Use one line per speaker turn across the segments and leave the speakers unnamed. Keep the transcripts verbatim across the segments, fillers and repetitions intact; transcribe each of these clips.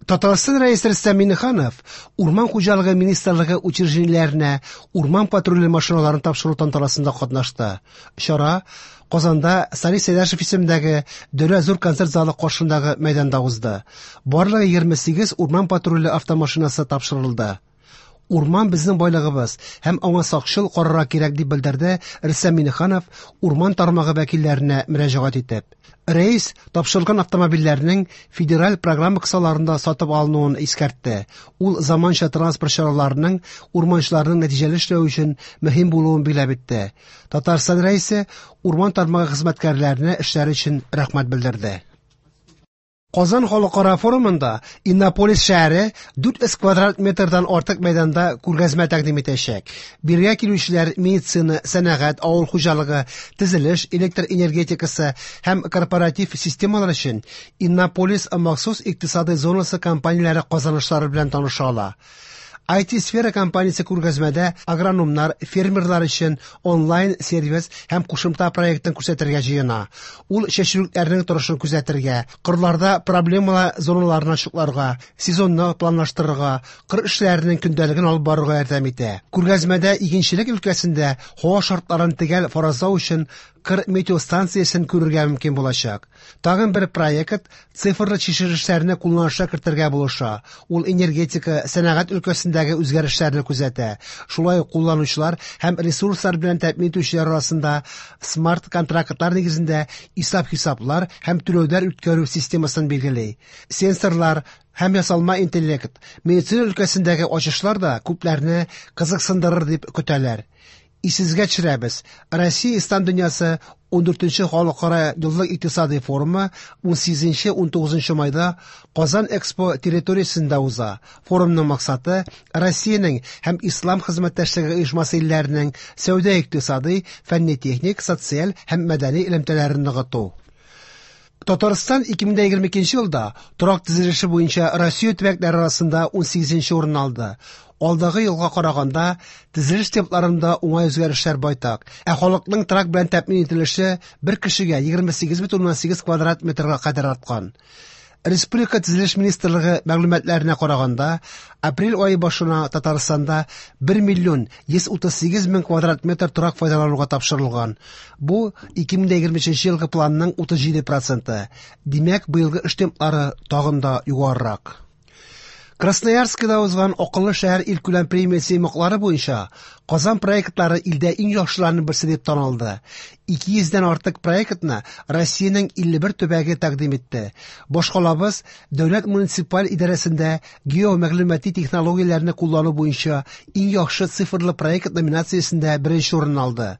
Татарстан Рәисе Рөстәм Миңнеханов Урман хуҗалыгы министрлыгы учреждениеләренә урман патруле машиналарын тапшыру тантанасында катнашты. Чара Казанда Салих Сәйдәшев исемендәге Дәүләт зур концерт залы каршындагы мәйданда узды. Барлыгы егерме сигез урман патруле автомашинасы тапшырылды. Урман безнең байлыгыбыз һәм аңа сакчыл карарга кирәк, дип белдерде Рөстәм Миңнеханов урман тармагы вәкилләренә мөрәҗәгать итеп. Рәис тапшырылган автомобильләрнең федераль программа кысаларында сатып алынуын искәртте. Ул заманча транспорт чараларының урманчыларның нәтиҗәле эшләве өчен мөһим булуын билгеләп үтте. Татарстан Рәисе урман тармагы хезмәткәрләренә эшләре өчен рәхмәт белдерде. Казан халыкара форумында Иннополис шәһәре дүрт йөз квадрат метрдан артык мәйданда күргәзмә тәкъдим итәчәк. Бирегә килүчеләр медицина, сәнәгать, авыл хуҗалыгы, төзелеш, электр энергетикасы һәм корпоратив системалар өчен Иннополис махсус икътисадый зонасы компанияләре казанышлары белән таныша ала. ай ти-сфера компаниясе күргәзмәдә агрономнар, фермерлар өчен онлайн-сервис һәм кушымта проектын күрсәтергә җыена. Ул чәчүлекләрнең торышын күзәтергә, кырларда проблемалы зоналарны ачыкларга, сезонны планлаштырырга, кыр эшләренең көндәлеген алып барырга ярдәм итә. Күргәзмәдә игенчелек өлкәсендә һава шартларын төгәл фаразлау өчен кыр метеостанциясен күрергә мөмкин булачак. Тагын бер проект цифрлы чишелешләрне кулланышка кертергә булыша. Ул энергетика, сәнәгать өлкәсендәге үзгәрешләрне күзәтә. Шулай ук кулланучылар һәм ресурслар белән тәэмин итүчеләр арасында смарт-контрактлар нигезендә исәп-хисаплар һәм түләүләр үткәрү системасын билгели. Сенсорлар һәм ясалма интеллект, медицина өлкәсендәге ачышлар да күпләрне кызыксындырыр дип көтәләр. Исегезгә төшерәбез, Россия Ислам дөньясы ундүртенче халыкара еллык икътисадый форумы унсигезенче унтугызынчы майда Казан Экспо территориясендә уза. Форумның максаты Россиянең һәм Ислам хезмәттәшлеге оешмасы илләренең сәүдә-икътисадый, фәнни-техник, социаль һәм мәдәни элемтәләрен ныгыту. Татарстан ике мең егерме икенче елда торак төзелеше буенча Россия төбәкләре арасында унсигезенче урын алды. Алдагы елга караганда төзелеш темпларында уңай үзгәрешләр байтак. Ә халыкның торак белән тәэмин ителеше бер кешегә егерме сигез бөтен уннан сигез квадрат метрга кадәр арткан. Республика Төзелеш министрлыгы мәгълүматларына караганда, апрель ае башына Татарстанда бер миллион йөз утыз сигез мең квадрат метр торак файдалануга тапшырылган. Бу ике мең егерме өченче елгы планның утыз җиде проценты. Димәк, быелгы эш темплары тагын да югарырак. Красноярскида узган Акыллы шәһәр илкүләм премиясе йомгаклары буенча Казан проектлары илдә иң яхшыларының берсе дип танылды. Ике йөздән артык проектны Россиянең илле бер төбәге тәкъдим итте. Башкалабыз дәүләт муниципаль идарәсендә геомәгълүмати технологияләрне куллану буенча иң яхшы цифрлы проект номинациясендә беренче урын алды.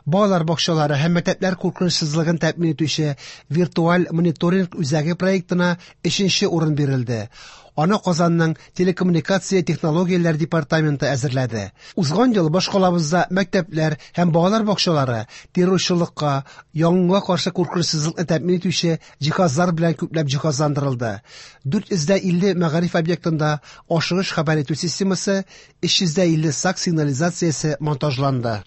Балалар бакчалары һәм мәктәпләр куркынычсызлыгын тәэмин итүче виртуаль мониторинг үзәге проектына өченче урын бирелде. Аны Казанның телекоммуникация технологияләр департаменты әзерләде. Узган ел башкалабызда мәктәпләр һәм балалар бакчалары террорчылыкка, янгынга каршы куркынычсызлыкны тәэмин итүче җиһазлар белән күпләп җиһазландырылды. Дүрт йөз дә илле мәгариф объектында ашыгыч хәбәр итү системасы, өч йөз дә илле сак сигнализациясе монтажланды.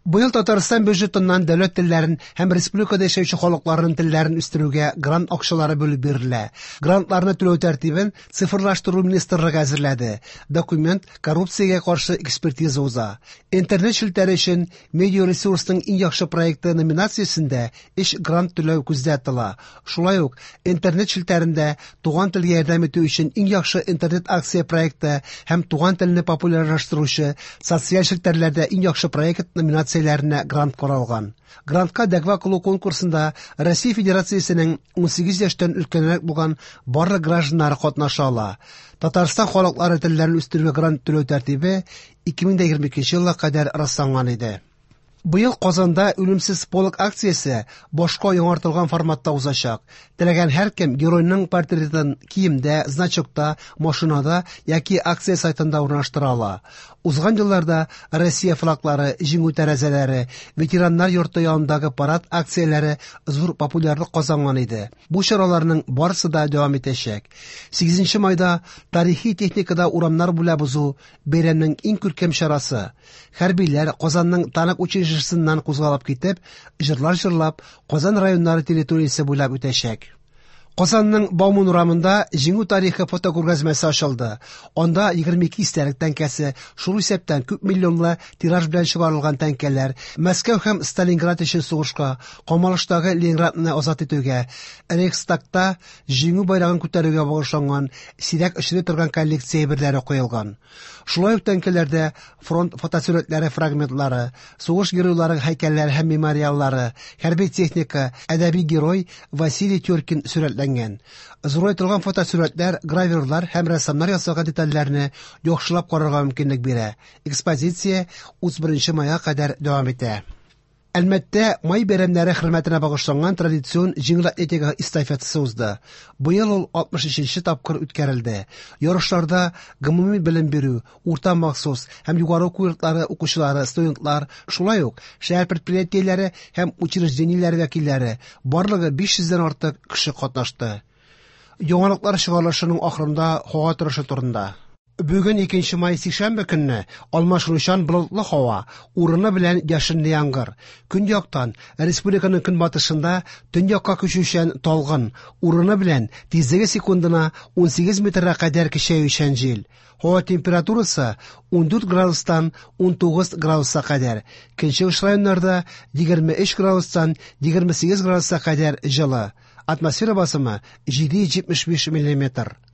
Быел Татарстан бюджетыннан дәүләт телләрен һәм республикада яшәүче халыкларның телләрен үстерүгә грант акчалары бүлеп бирелә. Грантларны түләү тәртибен цифрлаштыру министрлыгы әзерләде. Документ коррупциягә каршы экспертиза уза. Интернет челтәре өчен медиаресурсның иң яхшы проекты номинациясендә өч грант түләү күздә тотыла. Шулай ук интернет челтәрендә туган телгә ярдәм итү өчен иң яхшы интернет акция проекты һәм туган телне популярлаштыручы социаль челтәрләрдә иң яхшы проект номинациясе грант каралган. Грантка дәгъва кылу конкурсында Россия Федерациясенең унсигез яшьтән өлкәнрәк булган барлык гражданнары катнаша ала. Татарстан халыклары телләрен үстерүгә грант түләү тәртибе ике мең егерме икенче елга кадәр расланган иде. Быел Казанда үлемсез полк акциясе башка яңартылган форматта узачак. Теләгән һәркем геройның портретын киемдә, значокта, машинада яки акция сайтында урнаштыра ала. Узган елларда Россия флаглары, җиңү тәрәзәләре, ветераннар йорты янындагы парад акцияләре зур популярлык казанган иде. Бу чараларның барысы да дәвам итәчәк. Сигезенче майда тарихи техникада урамнар буйлап узу бәйрәмнең иң күркәм чарасы. Хәрбиләр Казанның танк училищесыннан кузгалып китеп, җырлар җырлап, Казан районнары территориясе буйлап үтәчәк. Казанның Бауман урамында Җиңү тарихы фотокүргәзмәсе ачылды. Анда егерме ике истәлек тәңкәсе, шул исәптән күп миллионлы тираж белән чыгарылган тәңкәләр, Мәскәү һәм Сталинград өчен сугышка, камалыштагы Ленинградны азат итүгә, Рейхстагта Җиңү байрагын күтәрүгә багышланган сирәк очрый торган коллекция әйберләре куелган. Шулай ук тәңкәләрдә фронт фотосурәтләре фрагментлары, сугыш геройлары һәйкәлләре һәм мемориаллары, хәрби техника, әдәби герой Василий Теркин сурәтләнгән. Зурайтылган фотосурәтләр, гравюрлар һәм рәссамнар ясаган детальләрне яхшылап карарга мөмкинлек бирә. Экспозиция утыз беренче майга кадәр дәвам итә. Әлмәттә май бәйрәмнәре хөрмәтенә багышланган традицион җиңел атлетика эстафетасы узды. Быел ул алтмыш өченче тапкыр үткәрелде. Ярышларда гомуми белем бирү, урта махсус һәм югары уку йортлары укучылары, студентлар, шулай ук шәһәр предприятиеләре һәм учреждениеләре вәкилләре, барлыгы биш йөздән артык кеше катнашты. Яңалыклар чыгарылышының ахырында һава торышы турында. Бүген икенче май сишәмбе көнне алмашынучан болытлы һава, урыны белән яшенле яңгыр. Көньяктан республиканың көнбатышында төньякка күчүчән талгын, урыны белән тизлеге секундына ун сигез метрга кадәр көчәючән җил. Һава температурасы ун дүрт градустан ун тугыз градуска кадәр. Көнчыгыш районнарда егерме өч градустан егерме сигез градуска кадәр җылы. Атмосфера басымы җиде йөз җитмеш биш миллиметр.